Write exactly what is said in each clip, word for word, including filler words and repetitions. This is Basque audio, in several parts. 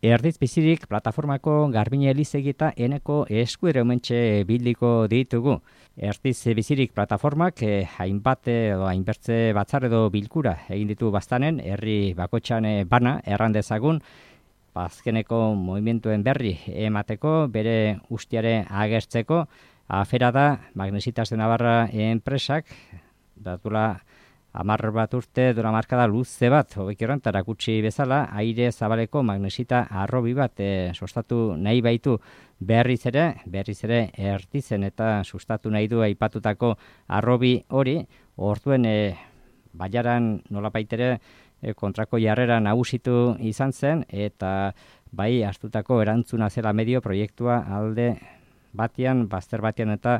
Erdiz bizirik plataformako Garbine Elizegi eta Eneko eskuere omentxe bildiko ditugu. Erdiz bizirik plataformak eh, hainbat edo hainbertze batzar edo bilkura egin ditu baztanen, herri bakotxan eh, bana errandezagun, azkeneko movimientuen berri emateko, bere ustiare agertzeko, afera da Magnesitas de Navarra enpresak, datula Amar bat urte dura markada luze bat, hobekiorren tarakutsi bezala, aire zabaleko magnesita arrobi bat e, sustatu nahi baitu berriz ere, berriz ere erdizen eta sustatu nahi du aipatutako arrobi hori, orduen e, baiaran nolapaitere e, kontrako jarrera nagusitu izan zen, eta bai hartutako erantzuna zela medio proiektua alde batean, bazter batean eta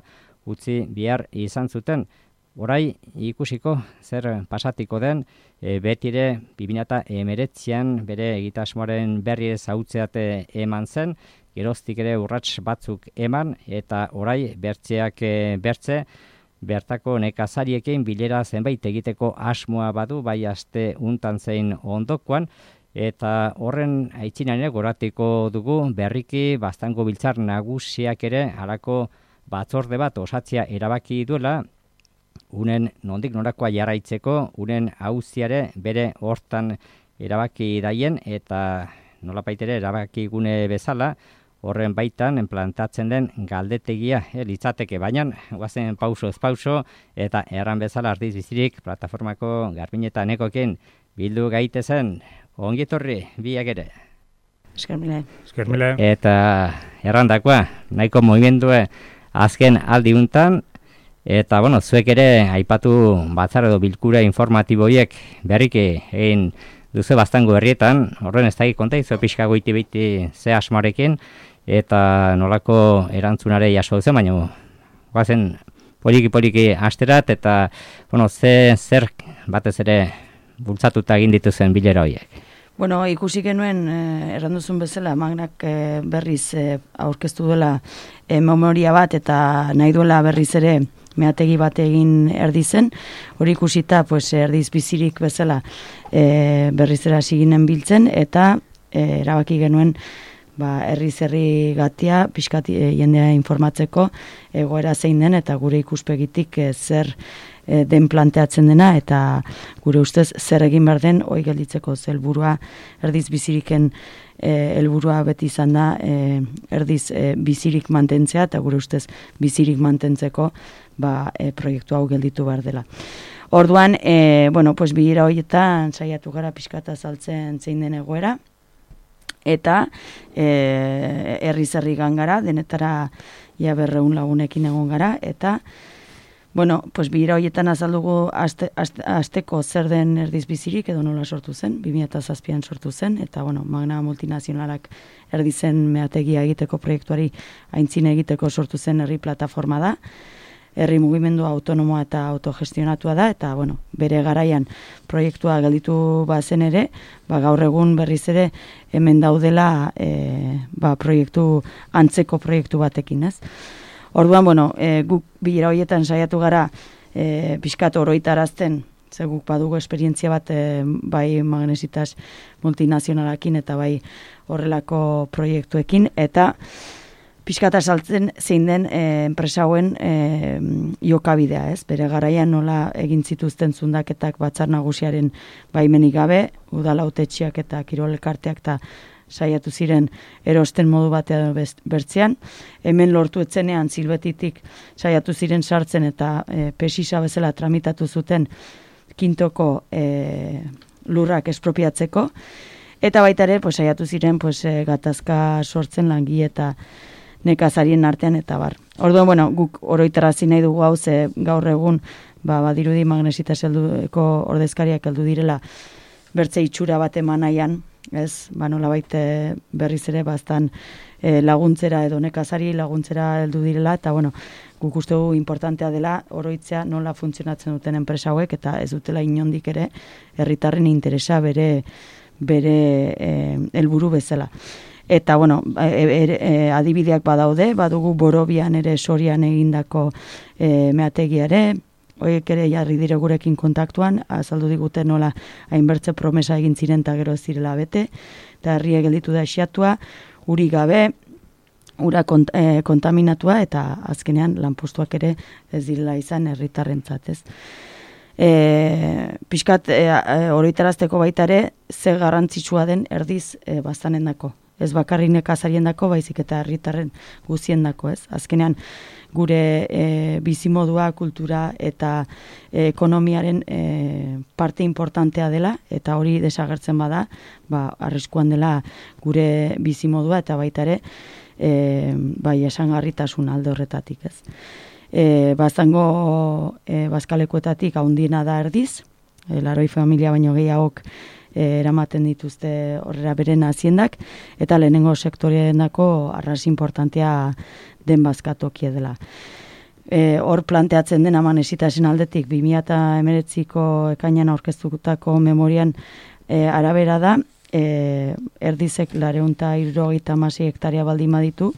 utzi bihar izan zuten. Orai ikusiko zer pasatiko den, e, betire bi mila hemeretzian bere egitasmoaren berri zautzeate eman zen, geroztik ere urrats batzuk eman, eta orai bertzeak e, bertze, bertako nekazariekin bilera zenbait egiteko asmoa badu, bai aste untan zein ondokoan, eta horren aitzinan ere goratiko dugu berriki Baztango biltzar nagusiak ere halako batzorde bat osatzea erabaki duela, unen nondik norakoa jarraitzeko, unen auziare bere hortan erabaki daien, eta nolapaitere erabaki gune bezala, horren baitan plantatzen den galdetegia eh, litzateke, baina guazen pauso ez pauso, eta erran bezala Erdiz bizirik plataformako Garbine eta Enekoekin bildu gaitezen, ongietorri biak ere. Eskermile. Eskermile. Eta errandakoa, nahiko movimendue azken aldi untan, eta, bueno, zuek ere aipatu batzar edo bilkura informatiboiek berriki egin duzu Baztango herrietan, horren ez dakik konta, izo pixka goiti biti ze asmoarekin, eta nolako erantzunare jaso duzen, baina guazen poliki-poliki asterat, eta, bueno, ze zer batez ere bultzatuta egin dituzen bilera horiek. Bueno, ikusi genuen, eh, erranduzun bezala, Magnak eh, berriz eh, aurkeztu duela eh, memoria bat, eta nahi duela berriz ere meategi bat egin Erdizen, hori ikusita pues, Erdiz bizirik bezala e, berriz era siginen biltzen, eta e, erabaki genuen ba, herriz herri gatia, pixkat e, jendea informatzeko egoera zein den, eta gure ikuspegitik e, zer e, den planteatzen dena, eta gure ustez zer egin behar den, hoi gelditzeko helburua Erdiz biziriken helburua beti izan da e, Erdiz e, bizirik mantentzea, eta gure ustez bizirik mantentzeko ba, e, proiektu hau gelditu behar dela. Orduan, e, bueno, pues bilera horietan saiatu gara pixkata saltzen zein den egoera, eta e, herriz herri gara, denetara ia berreun lagunekin egon gara, eta bueno, pues bilera horietan azaldugu aste, aste, asteko zer den Erdiz bizirik edo nola sortu zen, bi mila zazpian sortu zen, eta bueno, Magna multinazionalak Erdizen meategia egiteko proiektuari aintzine egiteko sortu zen herri plataforma da, herri mugimendu autonomoa eta autogestionatua da, eta bueno, bere garaian proiektua gelditu bazen ere, ba, gaur egun berriz ere hemen daudela e, ba, proiektu, antzeko proiektu batekin, ez? Orduan, bueno, e, guk bilera horietan saiatu gara e, pixkat oroitarazten, ze guk badugu esperientzia bat e, bai Magnesitas multinazionalakin eta bai horrelako proiektuekin, eta pixkata saltzen zein den e, enpresa hauen e, jokabidea, ez? Bere garaian nola egin zituzten zundaketak batzar nagusiaren baimenik gabe, udala hautetxiak eta kirol elkarteak eta saiatu ziren erosten modu batean bertzean. Hemen lortu etzenean zilbetitik saiatu ziren sartzen eta e, pesisa bezala tramitatu zuten kintoko e, lurrak espropiatzeko. Eta baita ere, pues, saiatu ziren pues, e, gatazka sortzen langile eta nekazarien artean eta bar. Orduan, bueno, guk oroitarazi nahi dugu hau, ze gaur egun ba, badirudi Magnesitas helduko ordezkariak heldu direla bertze itxura bat eman nahian, ez, ba, nolabait berriz ere baztan e, laguntzera edo nekazari laguntzera heldu direla, eta bueno, guk uste dugu importantea dela oroitzea nola funtzionatzen duten enpresa hauek, eta ez dutela inondik ere herritarren interesa bere bere helburu bezala. Eta, bueno, e, e, e, adibideak badaude, badugu Borobian ere Sorian egindako e, meategiare, Hoiek ere jarri dire gurekin kontaktuan, azaldu digute nola hainbertze promesa egin ziren eta gero ez zirela bete, eta herria gelditu da esiatua, uri gabe, ura kont, e, kontaminatua, eta azkenean lanpostuak ere ez direla izan herritarrentzat, ez. E, pixkat e, e, oroitarazteko baita ere, ze garrantzitsua den erdiz e, baztanendako. Ez bakarrik nekazariendako, baizik eta herritarren guziendako, ez. Azkenean, gure e, bizimodua, kultura eta e, ekonomiaren e, parte importantea dela, eta hori desagertzen bada, ba, arriskuan dela gure bizimodua, eta baita ere, e, bai, esangarritasun alde horretatik, ez. E, bazango e, bazkalekuetatik haundiena da erdiz, e, laroi familia baino gehiagok eramaten dituzte horrela beren haziendak, eta lehenengo sektoreendako arras importantea den bazkatokia dela. E, hor planteatzen den amanesitasen aldetik, bi mila hemeretziko ekainan aurkeztutako memorian e, arabera da, e, erdizek lareunta hirurogeita hamasei hektaria baldin baditu,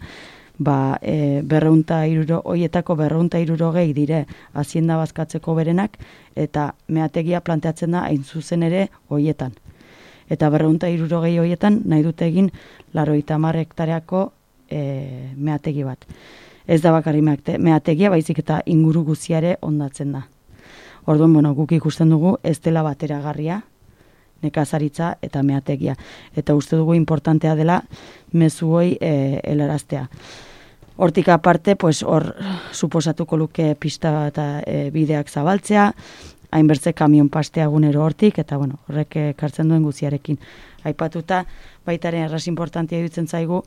ba, e, berreunta iruro, oietako berreunta hirurogei dire hazienda bazkatzeko berenak, eta meategia planteatzen da hain zuzen ere oietan. Eta berreunta hirurogei hoietan nahi dute egin larogeita hamar hektareako e, meategi bat. Ez da bakarri meategia, baizik eta inguru guziare ondatzen da. Orduan, bueno, guk ikusten dugu ez dela bateragarria, nekazaritza eta meategia. Eta uste dugu importantea dela mezu hoi e, helaraztea. Hortik aparte, pues, hor suposatuko luke pista eta e, bideak zabaltzea, hainbertze kamion pastea egunero hortik, eta bueno, horrek ekartzen duen guziarekin. Aipatuta, baitaren erraz importantia dutzen zaigu,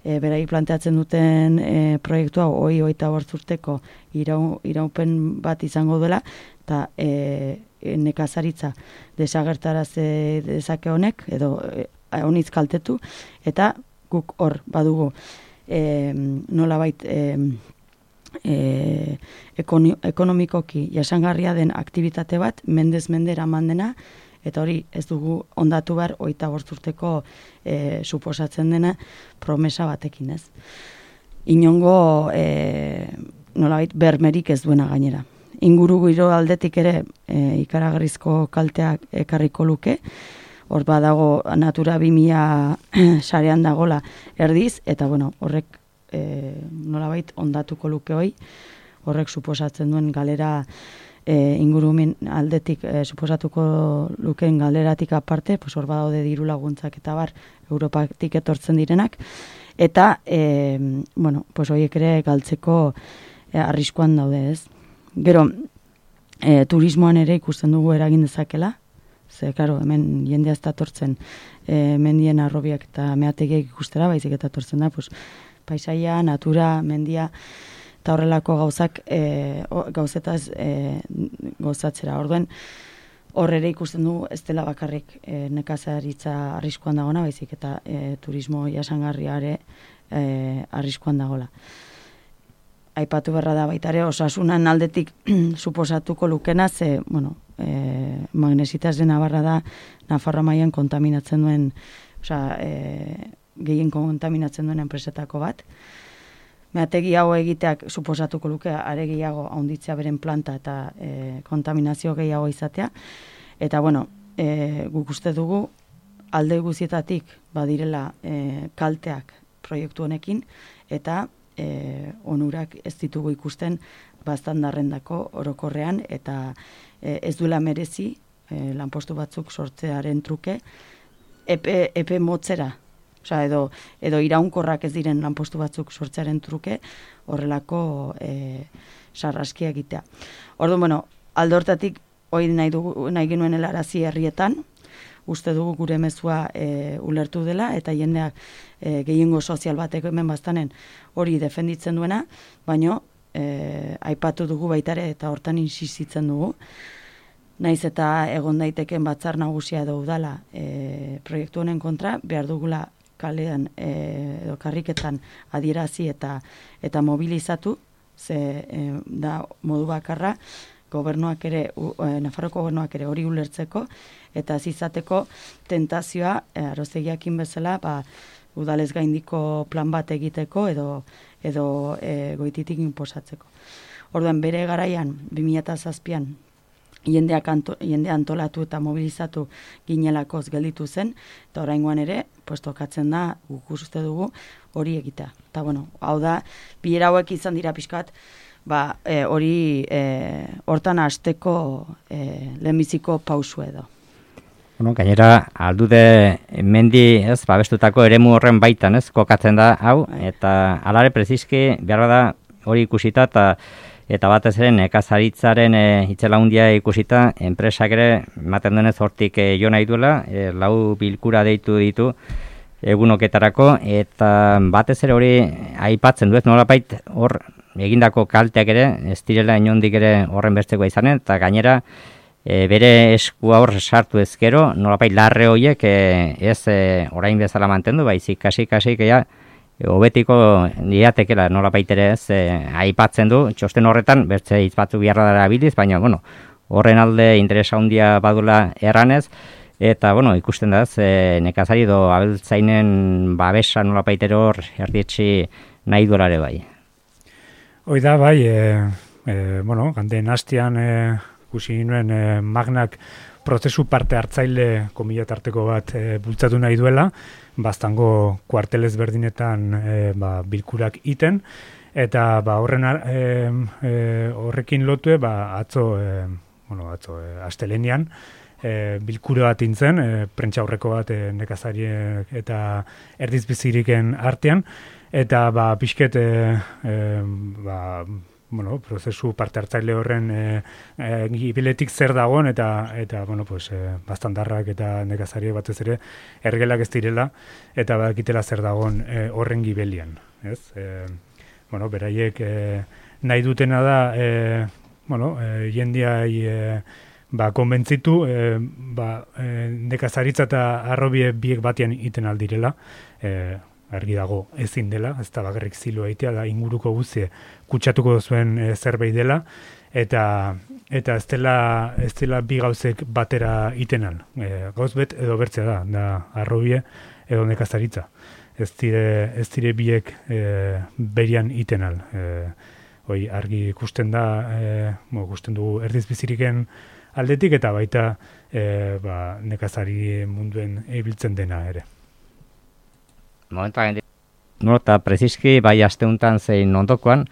e, berai planteatzen duten e, proiektua hoi hogeita bost urteko irau, iraupen bat izango dela, eta e, nekazaritza desagertaraz dezake honek, edo e, honitz kaltetu, eta guk hor badugu e, nolabait e, E, ekonomikoki jasangarria den aktibitate bat, mendez mendera mandena, eta hori ez dugu ondatu behar hogeita bost urteko e, suposatzen dena promesa batekin, ez. Inongo e, nolabait bermerik ez duena gainera. Inguru giro aldetik ere e, ikaragarrizko kalteak ekarriko luke, hor badago Natura bi mila sarean dagola erdiz, eta bueno, horrek E, nolabait ondatuko luke hoi, horrek suposatzen duen galera e, ingurumen aldetik e, suposatuko lukeen galeratik aparte, pues hor badaude diru laguntzak eta bar Europatik etortzen direnak, eta e, bueno, pues horiek ere galtzeko e, arriskuan daude, ez. Gero, e, turismoan ere ikusten dugu eragin dezakela, ze, karo, hemen jendea ez da tortzen e, mendien arrobiak eta meategiak ikustera, baizik eta tortzen da, pues, paisaia, natura, mendia, eta horrelako gauzak e, gauzetaz e, gozatzera. Orduen, horrere ikusten du ez dela bakarrik e, nekazaritza arriskuan dagona, baizik eta e, turismo jasangarriare e, arriskuan dagola. Aipatu berra da baita ere, osasunan aldetik suposatuko lukena, ze, bueno, e, magnesitaz de Navarra da, Nafarroa mailan kontaminatzen duen, osea, e, gehien kontaminatzen duen enpresetako bat. Meategi hau egiteak suposatuko luke are gehiago handitzea beren planta eta e, kontaminazio gehiago izatea. Eta bueno, e, guk uste dugu alde guzietatik badirela e, kalteak proiektu honekin, eta e, onurak ez ditugu ikusten baztandarrendako orokorrean, eta e, ez duela merezi e, lanpostu batzuk sortzearen truke epe, epe motzera. Osa, edo, edo iraunkorrak ez diren lanpostu batzuk sortzearen truke horrelako e, sarraskia egitea. Orduan, bueno, alde hortatik hori nahi, dugu, nahi genuen helarazi herrietan, uste dugu gure mezua e, ulertu dela, eta jendeak e, gehiengo sozial batek hemen baztanen hori defenditzen duena, baino e, aipatu dugu baitare eta hortan insistitzen dugu. Naiz eta egon daiteken batzar nagusia edo udala e, proiektu honen kontra, behar dugula kalean e, edo karriketan adierazi eta eta mobilizatu, ze e, da modu bakarra gobernuak ere, e, Nafarroko gobernuak ere hori ulertzeko, eta zizateko tentazioa e, arozegiakin bezala, ba, udalez gaindiko plan bat egiteko edo, edo e, goititik inposatzeko. Orduan bere garaian, bi mila zazpian, jendeak anto, jende antolatu eta mobilizatu ginelakoz gelditu zen, eta oraingoan ere, pues, tokatzen da, guk uste dugu, hori egita. Eta bueno, hau da, bilera hauek izan dira pixkat, ba, e, hori e, hortan hasteko e, lehenbiziko pausu edo. Bueno, gainera, aldude mendi, ez, babestutako eremu horren baitan, ez, kokatzen da, hau, eta alare preziski, behar da, hori ikusita, eta eta batez ere nekazaritzaren e, itzela hundia ikusita, enpresak ere, ematen denez hortik e, jo nahi duela, e, lau bilkura deitu ditu egunoketarako, eta batez ere hori aipatzen du, ez nolapait hor egindako kalteak ere, ez direla inondik ere horren bertzekoa izanen, eta gainera, E, bere eskua hor sartu ezkero, nolapait larre horiek e, ez e, orain bezala mantendu, baizik kasik-kasik ea e, hobetiko diatekela nolapait ere ez e, aipatzen du, txosten horretan, bertze hitz batzuk biharra dara biliz, baina bueno, horren alde interesa handia badula erranez, eta bueno, ikusten da ez, e, nekazari edo abeltzainen babesa nolapait ere hor erdietxi nahi duelare bai. Hoi da bai, e, e, bueno, ganden hastian e... ikusi nuen eh, Magnak prozesu parte hartzaile komila tarteko bat eh, bultzatu nahi duela, baztango kuartelez berdinetan eh, ba, bilkurak iten, eta ba, horren eh, eh, horrekin lotue ba, atzo, eh, bueno, atzo eh, astelenian, eh, bilkura bat intzen, eh, prentsa aurreko bat eh, nekazariek eta erdizbiziriken artean, eta ba, pixket eh, eh, ba, bueno, prozesu parte hartzaile horren e, e, gibiletik zer dagoen eta eta bueno, pues e, bastandarrak eta nekazariek batez ere ergelak ez direla eta badakitela zer dagoen e, horren gibelian, ez? E, bueno, beraiek e, nahi dutena da e, bueno, e, jendiai e, ba konbentzitu e, ba, e, nekazaritza eta arrobie biek batean iten aldirela, e, argi dago ezin dela, ez da bakarrik ziloa egitea, da inguruko guztie kutsatuko zuen e, zerbait dela, eta eta ez dela, ez dela bi gauzek batera itenan. E, gauz bet edo bertzea da, da arrobie edo nekazaritza. Ez dire, ez dire biek e, berian itenal. E, hoi argi ikusten da, e, mo, ikusten dugu erdizbiziriken aldetik, eta baita e, ba, nekazari munduen ibiltzen dena ere. Momentuan, no, eta preziski bai asteuntan zein ondokoan,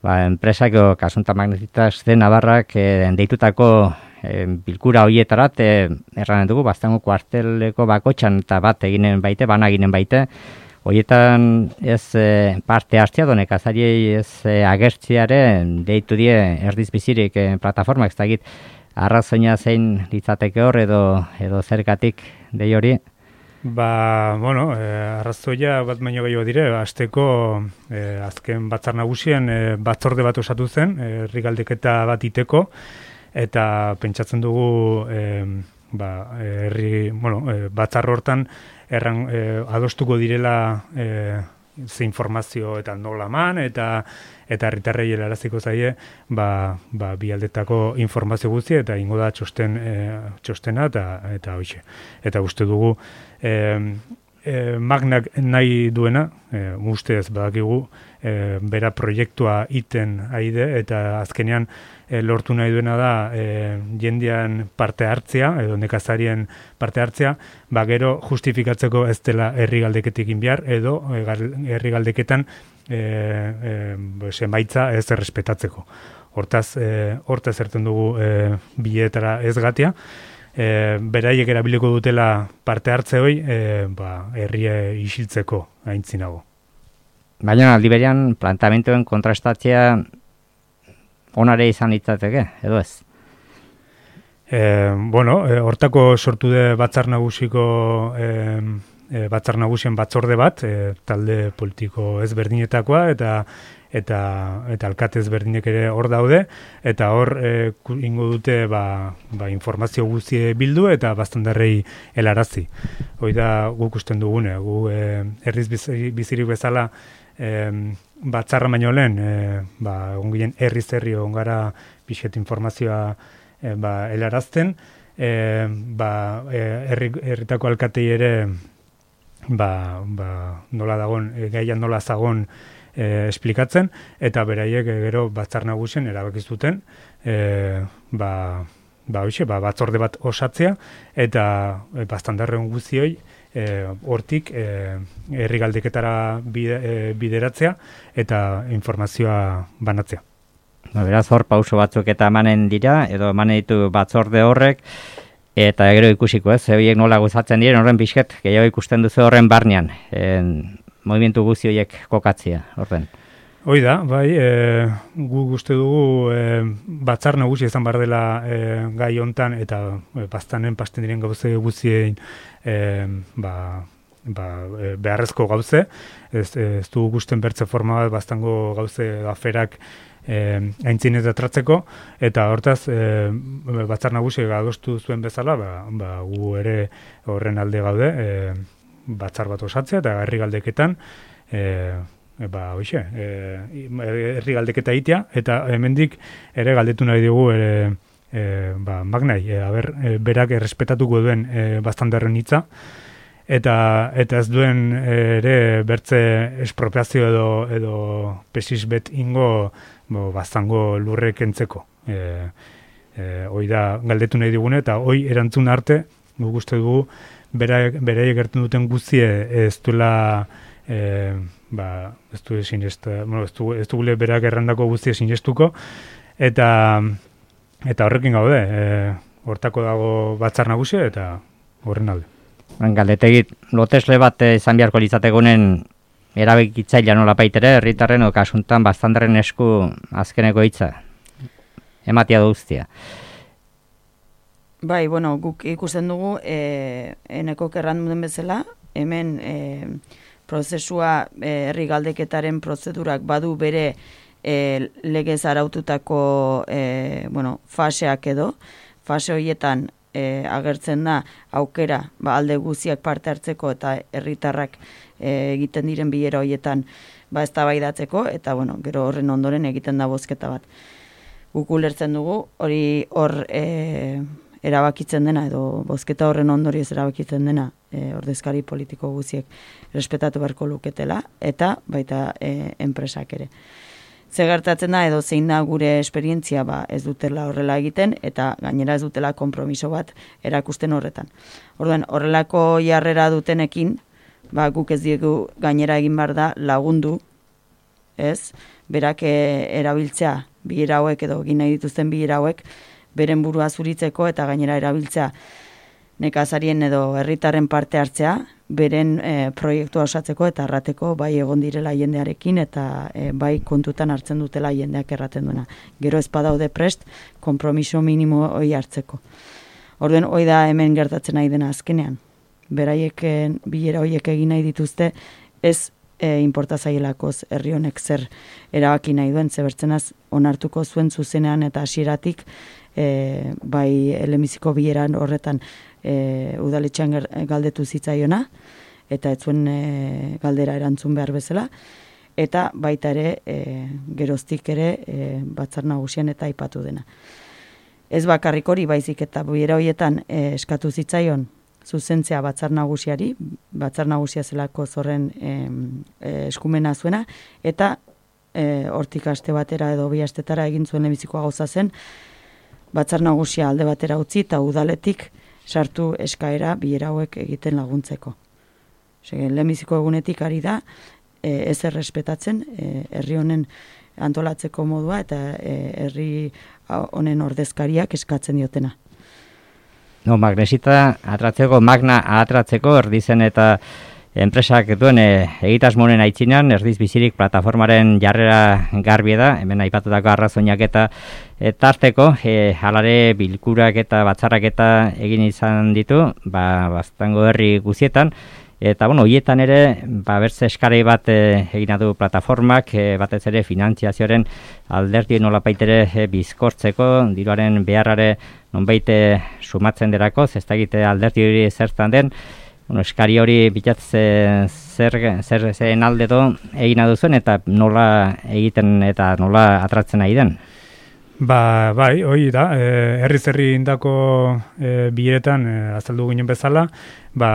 ba, enpresak kasunta magnetitas de Navarrak e, deitutako e, bilkura horietarat, e, erranen dugu, baztango kuarteleko bakotxan eta bat eginen baite, bana eginen baite, horietan ez e, parte hartzea do nekazariei ez e, agertziare deitu die erdizbizirik e, plataformak, ez dakit arrazoina zein litzateke hor edo, edo zergatik dei hori. Ba, bueno, eh, arrazoia bat baino gehiago dire, hasteko eh, azken batzar nagusien eh, batzorde bat osatu zen, herri eh, galdeketa bat iteko, eta pentsatzen dugu eh, ba, herri, bueno, eh, batzar hortan erran, eh, adostuko direla eh, ze informazio eta nola man, eta eta herritarrei helaraziko zaie, ba, ba, bi aldetako informazio guzti, eta ingo da txosten, e, txostena, eta eta hoxe. Eta uste dugu, e, e, Magnak nahi duena, e, ustez badakigu, e, bera proiektua iten aide, eta azkenean e, lortu nahi duena da e, jendean parte hartzea, edo nekazarien parte hartzea, ba gero justifikatzeko ez dela herri galdeketik inbiar, edo e, herri galdeketan E, e, emaitza ez errespetatzeko. Hortaz, e, hortaz erten dugu e, biletara ez gatia. E, beraiek erabiliko dutela parte hartze hoi, e, ba, herria isiltzeko aintzinago. Baina aldi berean planteamenduen kontrastatzea onare izan litzateke, edo ez? E, bueno, e, hortako sortu de batzar nagusiko e, E, batzar nagusien batzorde bat, e, talde politiko ezberdinetakoa eta eta eta alkate ezberdinek ere hor daude, eta hor e, ingo dute ba, ba informazio guztie bildu eta bastandarrei helarazi. Hoi da guk usten dugune, gu e, herriz bizirik bezala e, batzarra baino lehen, e, ba ongilen herriz herri ongara pixet informazioa e, ba helarazten, e, ba herri herritako alkatei ere ba, ba, nola dagon, gaian nola zagon e, esplikatzen, eta beraiek e, gero batzar nagusien erabaki zuten, e, ba, ba, hoxe, ba, batzorde bat osatzea, eta e, bastandarren guztioi, e, hortik e, herri galdeketara bide, e, bideratzea, eta informazioa banatzea. Ba, beraz, hor pauso batzuk eta emanen dira, edo emanen ditu batzorde horrek, eta gero ikusiko ez, horiek nola gozatzen diren, horren pixket, gehiago ikusten duzu horren barnean, en, movimentu guzti horiek kokatzea, horren. Hoi da, bai, e, gu uste dugu e, batzar nagusi izan behar dela e, gai hontan, eta e, bastanen pasten diren gauze guztien e, ba, ba, e, beharrezko gauze, ez, ez dugu gusten bertze forma bat, bastango gauze aferak E, aintzin eta tratzeko, eta hortaz e, batzar nagusi adostu zuen bezala, ba, ba, gu ere horren alde gaude, e, batzar bat osatzea, eta herri galdeketan e, ba, hoxe, e, herri galdeketa egitea, eta hemendik ere galdetu nahi dugu ere, e, ba, Magnai, e, aber, e, berak errespetatuko duen e, bastandarren hitza, eta eta ez duen ere bertze espropiazio edo edo pesisbet ingo bo, bastango lurrek entzeko. E, e, hoi da galdetu nahi digune, eta hoi erantzun arte, guk uste dugu, beraiek gertu duten guztie ez duela, e, ba, ez du sinesta, bueno, ez du, ez du gule berak errandako guztie sinestuko, eta eta horrekin gaude, e, hortako dago batzar nagusia, eta horren alde. Galdetegit, lotesle bat izan beharko litzategunen erabekitzailea nola baitere, herritarren o kasuntan bastandarren esku azkeneko hitza ematia duztia. Bai, bueno, guk ikusten dugu, e, eneko kerran duen bezala, hemen e, prozesua e, herri galdeketaren prozedurak badu bere e, legez araututako e, bueno, faseak edo, fase horietan E, agertzen da aukera ba, alde guziak parte hartzeko eta herritarrak e, egiten diren bilera horietan ba, eztabaidatzeko, eta bueno, gero horren ondoren egiten da bozketa bat. Guk ulertzen dugu hori hor e, erabakitzen dena edo bozketa horren ondorioz erabakitzen dena e, ordezkari politiko guziek respetatu beharko luketela, eta baita e, enpresak ere. Ze gertatzen da edo zein da gure esperientzia ba, ez dutela horrela egiten, eta gainera ez dutela konpromiso bat erakusten horretan. Orduan, horrelako jarrera dutenekin, ba, guk ez diegu gainera egin behar da lagundu, ez? Berak e, erabiltzea bilera hauek edo egin nahi dituzten bilera hauek beren burua zuritzeko, eta gainera erabiltzea nekazarien edo herritarren parte hartzea, beren e, proiektua osatzeko eta errateko bai egon direla jendearekin, eta e, bai kontutan hartzen dutela jendeak erraten duena. Gero ez badaude prest, konpromiso minimo hori hartzeko. Orduan, hoi da hemen gertatzen nahi dena azkenean. Beraiek bilera horiek egin nahi dituzte, ez e, inporta zaielakoz herri honek zer erabaki nahi duen, zebertzenaz onartuko zuen zuzenean eta hasieratik e, bai elemiziko bileran horretan E, udaletxean galdetu zitzaiona, eta ez zuen e, galdera erantzun behar bezala, eta baita ere e, geroztik ere e, batzar nagusian eta aipatu dena. Ez bakarrik hori baizik eta bilera horietan e, eskatu zitzaion zuzentzea batzar nagusiari, batzar nagusia zelako zorren e, e, eskumena zuena, eta e, hortik aste batera edo bi astetara egin zuen lehenbizikoa gauza zen, batzar nagusia alde batera utzi eta udaletik sartu eskaera bilera hauek egiten laguntzeko. Lehenbiziko egunetik ari da, e, ez errespetatzen, e, herri honen antolatzeko modua eta e, herri honen ordezkariak eskatzen diotena. No, magnesita atratzeko, magna atratzeko, erdizen eta enpresak duen e, egitasmonen aitzinan, erdiz bizirik plataformaren jarrera garbi da, hemen aipatutako arrazoinak eta e, tarteko, e, halare bilkurak eta batzarrak eta egin izan ditu, ba, bastango herri guzietan, eta bueno, hoietan ere, ba, bertze eskarei bat e, egina du plataformak, e, batez ere finantziazioaren alderdi nolapaitere e, bizkortzeko, diruaren beharrare nonbait sumatzen derako, ez da egite alderdi hori zertan den, bueno, eskari hori bilatz zer, zer, zer alde do egina duzuen eta nola egiten eta nola atratzen nahi den? Ba, bai, hoi da, e, herriz herri indako e, biletan e, azaldu ginen bezala, ba,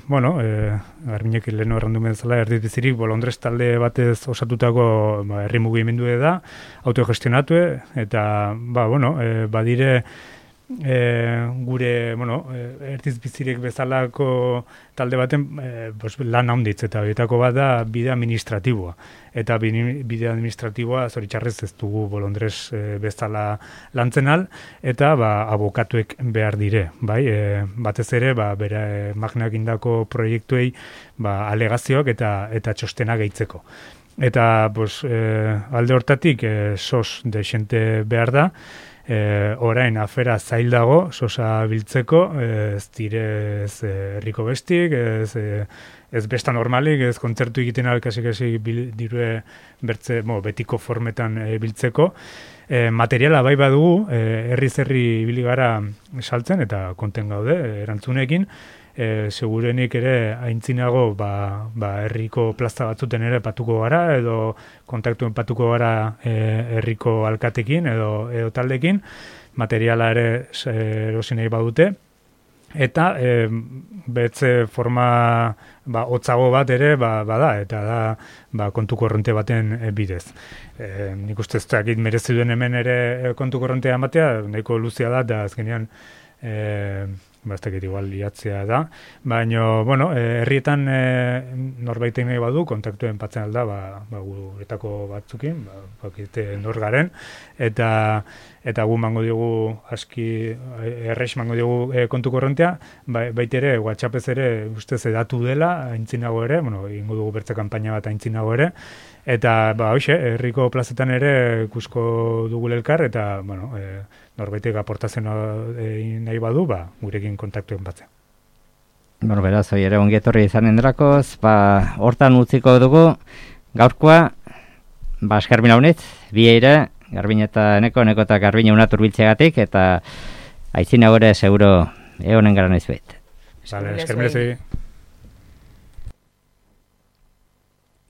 bueno, e, Garbiñek leheno errandu bezala, erdi bizirik Bolondres talde batez osatutako ba, herri mugimendu da, autogestionatu, eta, ba, bueno, e, badire, E, gure, bueno, erdiz bizirik bezalako talde baten e, bos, lan handitz, eta horietako bat da bide administratiboa. Eta bide administratiboa zoritxarrez ez dugu Bolondres e, bezala lantzen al, eta ba, abokatuek behar dire. Bai? E, batez ere, ba, bere magnak indako proiektuei ba, alegazioak eta, eta txostena gehitzeko. Eta pues, e, alde hortatik e, sos de xente behar da, E, orain afera zail dago, sosa biltzeko, ez dire ez herriko bestik, ez, ez besta normalik, ez kontzertu egiten alkasi-kasi dirue bertze, bo, betiko formetan e, biltzeko. E, materiala bai badugu, e, herri-zerri ibili gara saltzen, eta konten gaude, erantzunekin, E, segurenik ere aintzinago ba, ba, herriko plaza batzuten ere patuko gara, edo kontaktuen patuko gara e, herriko alkatekin edo, edo taldekin, materiala ere erosi nahi badute, eta e, betze forma ba, hotzago bat ere ba, bada, eta da ba, kontu korronte baten e, bidez. E, nik uste ez dakit merezi duen hemen ere kontu korrontea ematea, nahiko luzea da, eta azkenean e, bastakit igual liatzea da, baina, bueno, herrietan e, norbaitek nahi badu, kontaktuen patzen alda, ba, ba, guretako batzukin, ba, bakite nor garen, eta eta gu mango diogu aski, errex mango diogu e, kontu korrontea, ba, baitere, WhatsAppez ere, ustez edatu dela, aintzinago ere, bueno, ingo dugu bertze kanpaina bat aintzinago ere, eta, ba, hoxe, herriko plazetan ere ikusko dugu elkar, eta, bueno, e, norbaitek aportazioa nahi badu, ba, gurekin kontaktuen batzea. Bueno, beraz, hoi ere ongietorri izanen drakoz, ba, hortan utziko dugu, gaurkoa, ba, eskerbina honit, bieire, Garbin eta Eneko, Eneko eta Garbin unatur biltzeagatik, eta aitzina gore seguro egonen gara nahizuet. Vale, eskerbina